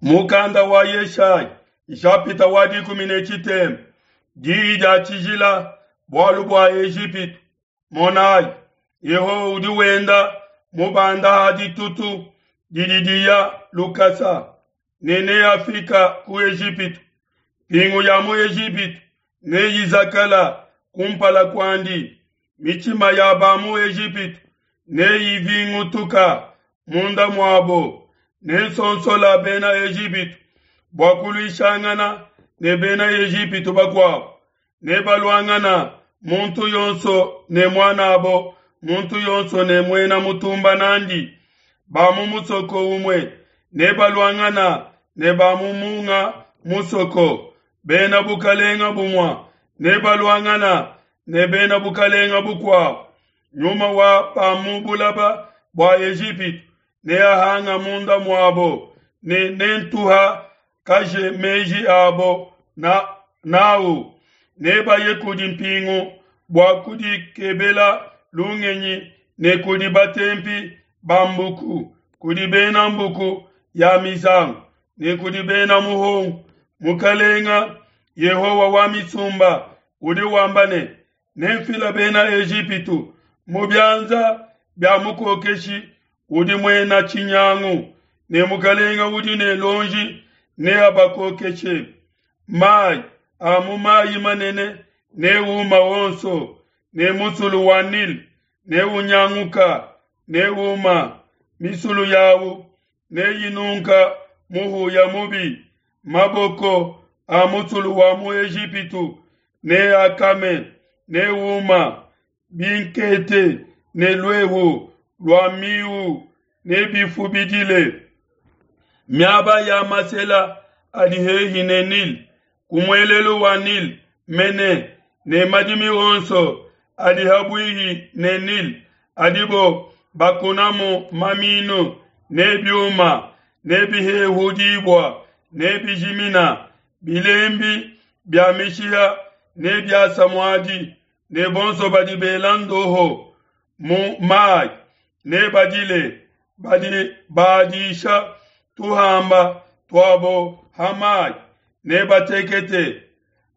Mukanda wa Yeshaya, nshapita wa 13, diyi dia tshijila bualu bua Ejipitu. Monayi, Yehowa udi wenda mubanda ha ditutu didi diya lukasa, ne neafika ku Ejipitu. Mpingu ya mu Ejipitu neyizakala kumpala kuandi, mitshima ya ba mu Ejipitu neyivingutuka munda muabo. Nensonsola bena Ejipitu bua kuluishangana ne bena Ejipitu bakuabo, nebaluangana muntu yonso ne muanabo, muntu yonso ne muena mutumba nandi. Ba mu musoko umue nebaluangana ne ba mu munga musoko, bena bukalenga bumue nebaluangana ne bena bukalenga bukuabo. Nyuma wa ba mu bulaba bua Ejipitu neahanga munda muabo, ne nentuha kaje meji abo na nawu. Nebaye kudi mpingu bua kudikebela lungenyi ne kudi batempi ba mbuku, kudi bena mbuku ya mizangu ne kudi bena muhongo. Mukalenga Yehowa wa misumba udi wamba ne, Nemfila bena Ejipitu mu bianza bia mukokeshi udi muena tshinyangu, ne mukalenga udi ne luonji neabakokeshe. Mayi a mu mayi manene neuma wonso, ne musulu wa Nile neunyanguka, neuma, misulu yawu neyinunka muhuya mubi. Maboko a musulu wa mu Ejipitu neakame, neuma, binkete ne luehu lua miu nebifubidile. Miaba ya masela adi hehi ne Nile, ku muelelu wa Nile mene, ne madimi onso adi habuihi ne Nile adibo bakunamu maminu ne biuma nebihehudibua, nebijimina. Bilembi bia mishiha nebiasa muadi, ne bonso badi bela ndoho mu mayi nebadile, badi badisha tuhamba tuabo ha mayi nebatekete.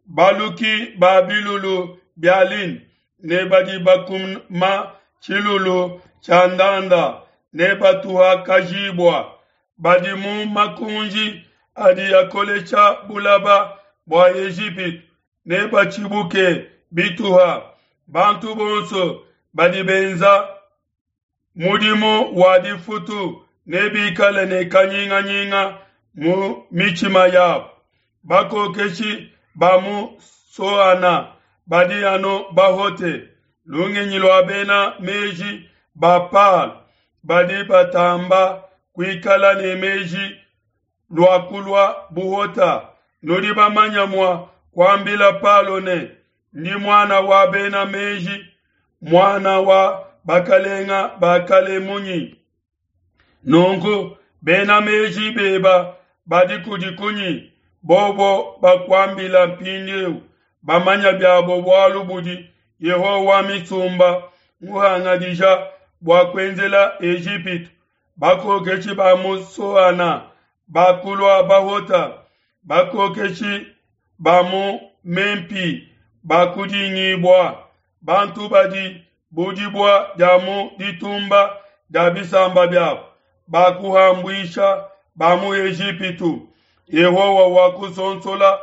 Baluki ba bilulu bia lin ne badi bakuma tshilulu tshia ndanda nebatuhakajibua. Badi mu makunji adi akolesha bulaba bua Ejipitu nebatshibuke bituha. Bantu bonso badi benza mudimu wa difutu nebikale ne kanyinganyinga mu mitshima yabo. Bakokeshi ba mu Soana badi anu bahote. Lungenyi lua bena meji ba Palo badi batamba kuikala ne meji luakulua buhota. Nudi bamanya mua kuambila Palo ne, ndi muana wa bena meji, muana wa bakalenga ba kale munyi? Nunku bena meji beba badi kudi kunyi? Bobo bakuambila mpindieu, bamanya biabo bualu budi Yehowa wa misumba muhangadija bua kuenzela Ejipitu. Bakokeshi ba mu Soana bakulua bahota, bakokeshi ba mu Mempi bakudingibua, bantu badi bu dibua dia mu ditumba dia bisamba biabo bakuhambuisha ba mu Ejipitu. Yehowa wakusonsola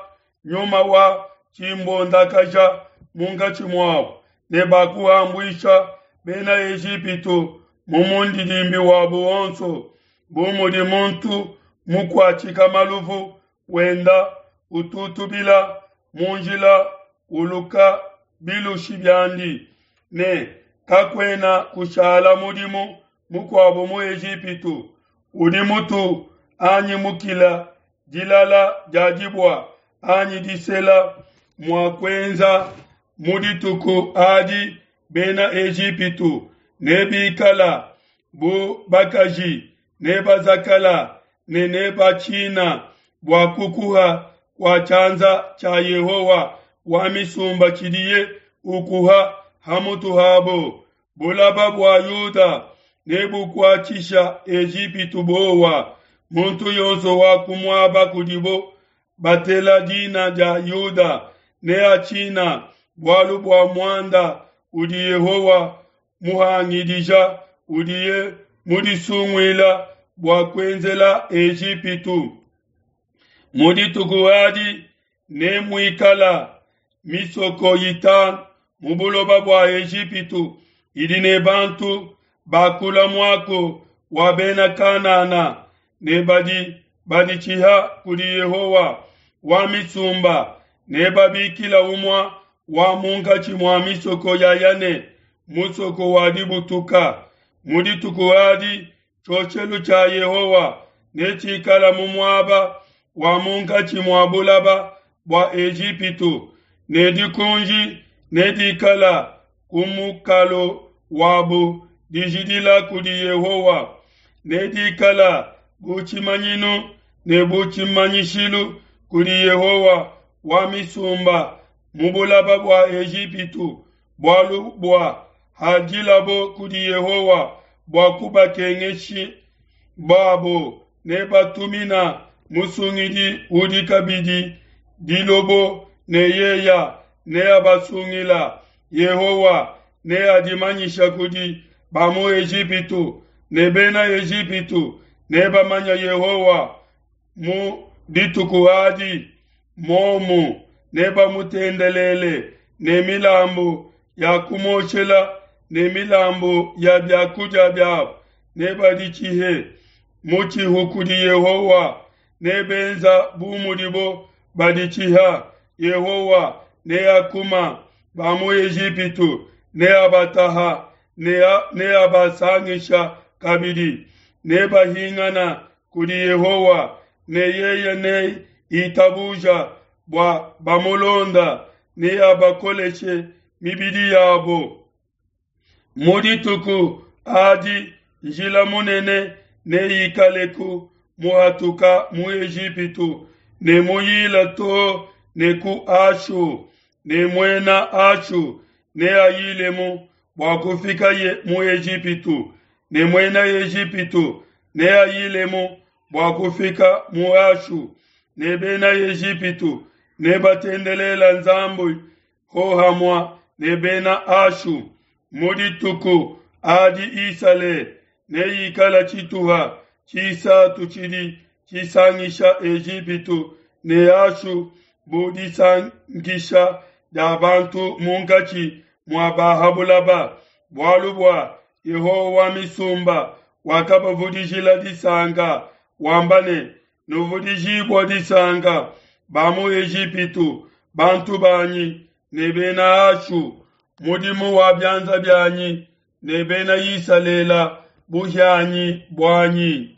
nyuma wa tshimbondakaja munkatshi muabo, ne bakuhambuisha bena Ejipitu mu mundidimbi wabo wonso, bu mudi muntu mukuatshika maluvu wenda ututubila mu njila uluka bilushi biandi, ne kakuena kushala mudimu mukuabo mu Ejipitu udi mutu anyi mukila dilala dia dibua anyi disela mua kuenza mu dituku adi bena Ejipitu nebikala bu bakaji, nebazakala ne nebatshina bua kukuha kua tshianza tshia Yehowa wa misumba tshidiye ukuha ha mutu habo. Bulaba bua Yuda nebukuatshisha Ejipitu buowa. Muntu yonso wa ku muaba kudibo batela dina dia Yuda neatshina bualu bua muanda udi Yehowa muhangidija udiye mudisunguila bua kuenzela Ejipitu. Mu dituku adi nemuikala misoko itanu mu buloba bua Ejipitu idi ne bantu bakula muaku wa bena Kanana ne badi baditshiha kudi Yehowa wa misumba, nebabikila umue wa munkatshi mua misoko ya Yane musoko wa dibutuka. Mu dituku adi tshioshelu tshia Yehowa netshikala mu muaba wa munkatshi mua bulaba bua Ejipitu, ne dikunji nedikala ku mukalo wabu dijidila kudi Yehowa, nedikala bu tshimanyinu ne bu tshimanyishilu kudi Yehowa wa misumba mu bulaba bua Ejipitu, bualu bua hadilabo kudi Yehowa bua kubakengeshi babo, nebatumina musungidi udi kabidi dilobo, ne yeya neabasungila. Yehowa neadimanyisha kudi ba mu Ejipitu, ne bena Ejipitu nebamanya Yehowa mu dituku adi. Momu nebamutendelele ne milambu ya kumuoshela ne milambu ya biakudia biabo, nebaditshihe mutshihu kudi Yehowa, nebenza bu mudibo baditshiha. Yehowa neakuma ba mu Ejipitu, neabataha, neabasangisha kabidi, nebahingana kudi Yehowa, ne yeye neitabuja bua bamulonda, neabakoleshe mibidi yabo. Mu dituku adi njila munene neikaleku muhatuka mu Ejipitu ne muyila too ne ku Ashu, ne muena Ashu neayilemu bua kufikaye mu Ejipitu, ne muena Ejipitu neayilemu bua kufika mu Ashu, ne bena Ejipitu nebatendelela Nzambi hohamua ne bena Ashu. Mu dituku adi Isalele neikala tshituha tshisatu tshidi tshisangisha Ejipitu ne Ashu bu disangisha dia bantu munkatshi mua ba ha bulaba, bualu bua Yehowa wa misumba wakabavudijila disanka, wamba ne, Nuvudijibua disanka, ba mu Ejipitu, bantu banyi, ne bena Ashu, mudimu wa bianza bianyi, ne bena Isalele, buhianyi buanyi.